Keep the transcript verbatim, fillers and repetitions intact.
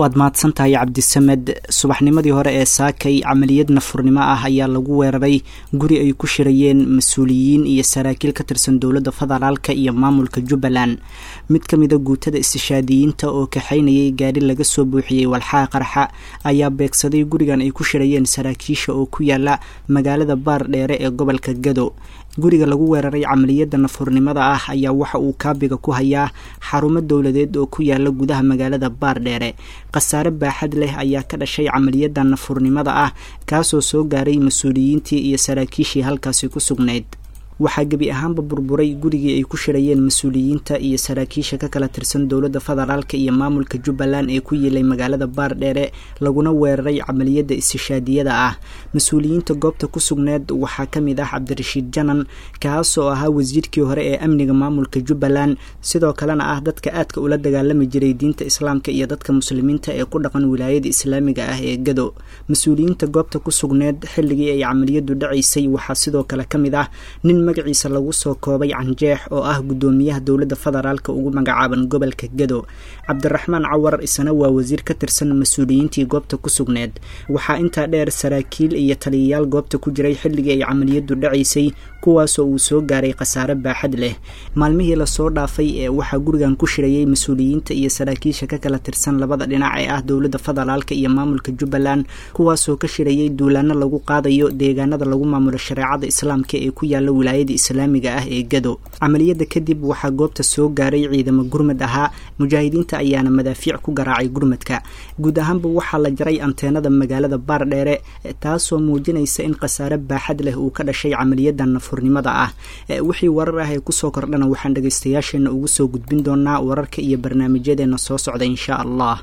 Waad mahadsan tahay, Cabdisamed. Subaxnimadii hore ee saakay camaliyad nafurnimo ah ayaa lagu weeraray guri ay ku shirayeen mas-uuliyiin iyo saraakiil ka tirsan dowladda federaalka iyo maamulka Jubbaland. Mid ka mida guutada istishaadiyiinta oo kaxaynayay gaari laga soo buuxiyey walxaha qarxa ayaa beegsaday gurigan ay ku shirayeen saraakiisha oo ku yaala magaalada Baar Dheere ee gobolka Gado. Guriga lagu weeraray camaliyadda nafurnimada ah ayaa waxa uu kaabiga ku hayaa xarumo dowladeed oo ku yaala gudaha magaalada Baardheere. Khasaare baaxad leh ayaa ka dhashay camaliyadda nafurnimada ah, kaasoo soo gaaray mas-uuliyiintii iyo saraakiishii halkaasi ku sugnayd. Waxaa gebi ahaanba burburay gurigii ay ku shirayeen mas-uuliyiinta iyo saraakiisha ka kala tirsan dowladda federaalka iyo maamulka Jubbaland ee ku yiilay magaalada Baardheere, laguna weeraray camaliyadda istishaadiyada ah. Mas-uuliyiinta goobta ku sugneed waxaa ka mid ah Cabdirashiid Janan, kaasoo ahaa wasiirkii hore ee amniga maamulka Jubbaland, sidoo kalena ah dadka aadka ula dagaalami jiray diinta Islaamka iyo dadka Muslimiinta ee ku dhaqan wilaayada islaamiga ah ee Gado. Mas-uuliyiinta goobta ku sugneed xilligii ay camaliyadu dhacaysay waxaa sidoo kale ka mid ah nin magaciisa lagu soo koobay Canjeex oo ah guddoomiyaha dowladda federaalka ugu magacaaban gobolka Gado. Cabdiraxmaan Cawar isana waa wasiir ka tirsan mas-uuliyiintii goobta ku sugneed. Waxaa intaa dheer saraakiil iyo taliyayaal goobta ku jiray xilligii ay camaliyadu dhacaysay, kuwaasoo uu soo gaaray khasaare baaxad leh. Maalmihii lasoo dhaafay ee waxaa gurigan ku shirayay mas-uuliyiinta iyo saraakiisha ka kala tirsan labada dhinac ee ah dowladda federaalka iyo maamulka Jubbaland, kuwaasoo ka shirayay duulaano lagu qaadayo deegaanada lagu maamulo shareecada Islaamka ee ku yaala wilaayada islaamiga ah ee Gado. Camaliyadda kadib waxaa goobta soo gaaray ciidamo gurmad ahaa, mujaahidiinta ayaana madaafiic ku garaacay gurmadka. Guud ahaanba waxaa la jaray anteenada magaalada Baardheere, taasoo muujinaysa in khasaare baaxad leh uu ka dhashay camaliyadda nafurnimada ah. Wixii warar ah ee kusoo kordhana waxaan dhegaystayaasheena ugu soo gudbin doonaa wararka iyo barnaamijyadeena soo socda, insha Allah.